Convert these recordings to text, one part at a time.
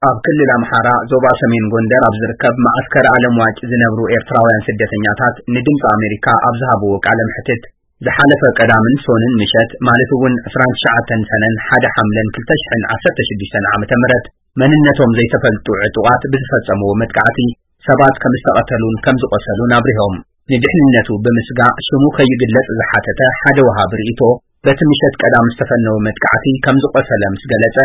ኣብ ክልል ኣምሓራ ዞባ ሰሜን ጎንደር ኣብ ዝርከብ መዓስከር ኣለምዋጭ ዝነብሩ ኤርትራውያን ስደተኛታት ንድምፂ ኣሜሪካ ኣብ ዝሃብዎ ቃለ መሕትት፣ ዝሓለፈ ቀዳምን ሶንን ምሸት ማለት እውን ዕስራን ትሽዓተን ሰነን ሓደ ሓምለን ክልተ ሽሕን ዓሰርተ ሽዱሽተን ዓመተ ምህረት መንነቶም ዘይተፈልጡ ዕጡቓት ብዝፈጸምዎ መጥቃዕቲ ሰባት ከም ዝተቐተሉን ከም ዝቖሰሉን ኣብሪሆም። ንድሕንነቱ ብምስጋእ ሽሙ ከይግለጽ ዝሓተተ ሓደ ወሃቢ ርእይቶ፣ በቲ ምሸት ቀዳም ዝተፈነወ መጥቃዕቲ ከም ዝቖሰለ ምስ ገለጸ፣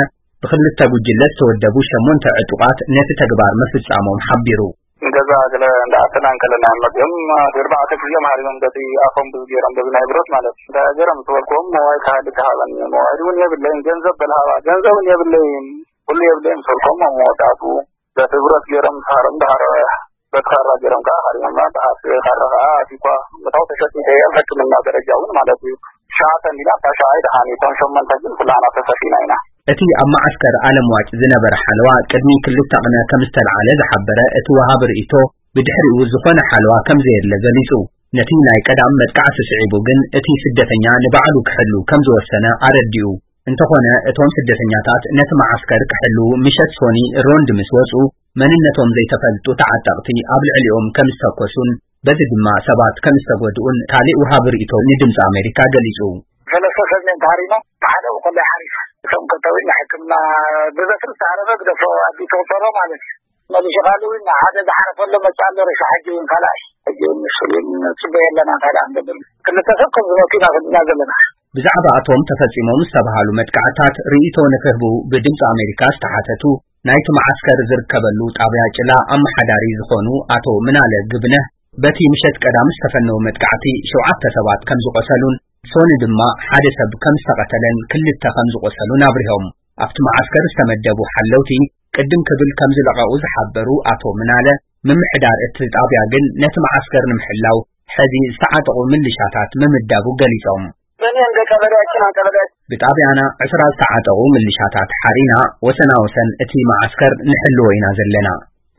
ብክልተ ጉጅለ ዝተወደቡ ሸሞንተ ዕጡቓት ነቲ ተግባር ምፍጻሞም ሓቢሩ። ንገዛ ገለ እንዳኣተና እንከለና እዮም መጺኦም። ኣርባዕተ ግዜ ማሃሪሞም በቲ ኣፎም ብዙ ገይሮም፣ በዚ ናይ ብረት ማለት እዩ። እንታይ ገይሮም ዝበልክዎም፣ ሞባይል ክሃልካ ሃበኒ፣ ሞባይል እውን የብለይን፣ ገንዘብ በልሃባ፣ ገንዘብ እውን የብለይን፣ ኩሉ የብለይን ምስ በልክዎም፣ ኣብ መወዳእትኡ በቲ ብረት ገይሮም ዝሃሮም፣ ድሃሮ በቲ ካራ ገይሮም ከዓ ሃሪሞምና። ብሓፍ ካራ ከዓ ኣትዩኳ፣ መታው ተሸፊተ እየ፣ ኣብ ሕክምና ደረጃ እውን ማለት እዩ። ትሽዓተ እንዲና፣ እታ ሻዓይ ደሓን እዩ፣ እቶም ሸሞንተ ግን ኩላና ተሰፊና ኢና። እቲ ኣብ መዓስከር ኣለምዋጭ ዝነበረ ሓለዋ ቅድሚ ክልተ ቅነ ከም ዝተለዓለ ዝሓበረ እቲ ወሃቢ ርእይቶ፣ ብድሕሪኡ ዝኾነ ሓለዋ ከም ዘየለ ገሊጹ። ነቲ ናይ ቀዳም መጥቃዕቲ ስዒቡ ግን እቲ ስደተኛ ንባዕሉ ክሕሉ ከም ዝወሰነ ኣረዲኡ። እንተኾነ እቶም ስደተኛታት ነቲ መዓስከር ክሕሉ ምሸት ሶኒ ሮንድ ምስ ወጹ፣ መንነቶም ዘይተፈልጡ ተዓጠቕቲ ኣብ ልዕሊኦም ከም ዝተኮሱን በዚ ድማ ሰባት ከም ዝተጎድኡን ካልእ ወሃቢ ርእይቶ ንድምፂ ኣሜሪካ ገሊጹ። ሰለስተ ሰብ እዮም ተሃሪሞም፣ ሓደ ከሎ ሓሪፍ። እቶም ክልተ እውን ንሕክምና ብበትሪ ዝተሃረመ ግደፎ ኣቢሉ ተቑፀሮ ማለት እዩ። መሊሱ ካልእ እውን ሓደ ዝሓረፈሉ መፅእ ኣሎ፣ ሬሳ ሕጂ እውን ካልኣይ። ሕጂ እውን ንሱ እውን ንፅበዮ ኣለና፣ እንታይ ደኣ ንገብር። ክልተ ሰብ ከም ዝሞቱ ኢና ፈሊጥና ዘለና። ብዛዕባ እቶም ተፈጺሞም ዝተባህሉ መጥቃዕታት ርእይቶ ንክህቡ ብድምፂ ኣሜሪካ ዝተሓተቱ ናይቲ መዓስከር ዝርከበሉ ጣብያ ጭላ ኣመሓዳሪ ዝኾኑ ኣቶ ምናለ ግብነህ፣ በቲ ምሸት ቀዳም ዝተፈነወ መጥቃዕቲ ሸውዓተ ሰባት ከም ዝቖሰሉን ሶኒ ድማ ሓደ ሰብ ከም ዝተቐተለን ክልተ ከም ዝቖሰሉን ኣብሪሆም። ኣብቲ መዓስከር ዝተመደቡ ሓለውቲ ቅድም ክብል ከም ዝለቐቑ ዝሓበሩ ኣቶ ምናለ፣ ምምሕዳር እቲ ጣብያ ግን ነቲ መዓስከር ንምሕላው ሕዚ ዝተዓጠቑ ምልሻታት ምምዳቡ ገሊጾም። እኔ እንደ ቀበሌያችን፣ ቀበሌያችን ብጣብያና ዕስራ ዝተዓጠቑ ምልሻታት ሓሪና ወሰና ወሰን እቲ መዓስከር ንሕልዎ ኢና ዘለና።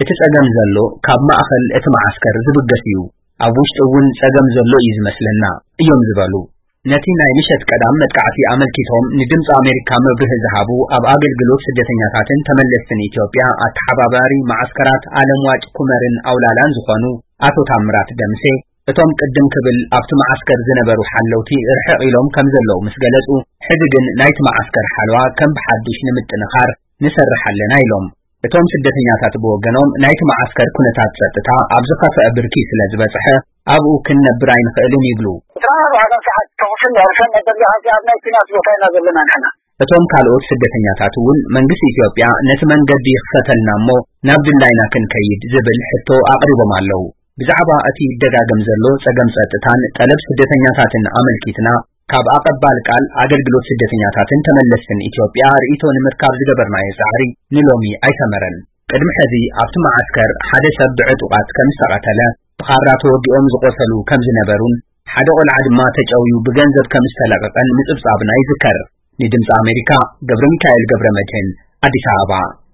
እቲ ጸገም ዘሎ ካብ ማእኸል እቲ መዓስከር ዝብገስ እዩ። ኣብ ውሽጢ እውን ጸገም ዘሎ እዩ ዝመስለና እዮም ዝበሉ። ነቲ ናይ ምሸት ቀዳም መጥቃዕቲ ኣመልኪቶም ንድምፂ ኣሜሪካ መብርሂ ዝሃቡ ኣብ ኣገልግሎት ስደተኛታትን ተመለስትን ኢትዮጵያ ኣተሓባባሪ መዓስከራት ኣለምዋጭ ኩመርን ኣውላላን ዝኾኑ ኣቶ ታምራት ደምሴ፣ እቶም ቅድም ክብል ኣብቲ መዓስከር ዝነበሩ ሓለውቲ ርሕቕ ኢሎም ከም ዘለዉ ምስ ገለጹ፣ ሕዚ ግን ናይቲ መዓስከር ሓለዋ ከም ብሓዱሽ ንምጥንኻር ንሰርሕ ኣለና ኢሎም። እቶም ስደተኛታት ብወገኖም ናይቲ መዓስከር ኩነታት ጸጥታ ኣብ ዝኸፍአ ብርኪ ስለ ዝበጽሐ ኣብኡ ክንነብር ኣይንኽእልን ይብሉ። ዕስራን ኣርባዕተን ሰዓት ተኹስን ሕርሰን ነበር፣ ኣብዚ ኣብ ናይ ኲናት ቦታ ኢና ዘለና ንሕና። እቶም ካልኦት ስደተኛታት እውን መንግስቲ ኢትዮጵያ ነቲ መንገዲ ይኽፈተልና እሞ ናብ ድላይና ክንከይድ ዝብል ሕቶ ኣቕሪቦም ኣለዉ። ብዛዕባ እቲ ይደጋገም ዘሎ ጸገም ጸጥታን ጠለብ ስደተኛታትን ኣመልኪትና ካብ ኣቐባል ቃል ኣገልግሎት ስደተኛታትን ተመለስትን ኢትዮጵያ ርእይቶ ንምርካብ ዝገበርናዮ ጻዕሪ ንሎሚ ኣይሰመረን። ቅድሚ ሕዚ ኣብቲ መዓስከር ሓደ ሰብ ብዕጡቓት ከም ዝተቐተለ፣ ብኻራ ተወጊኦም ዝቖሰሉ ከም ዝነበሩን ሓደ ቆልዓ ድማ ተጨውዩ ብገንዘብ ከም ዝተለቐቐን ምጽብጻብና ይዝከር። ንድምፂ ኣሜሪካ ገብረ ሚካኤል ገብረ መድህን፣ ኣዲስ ኣበባ።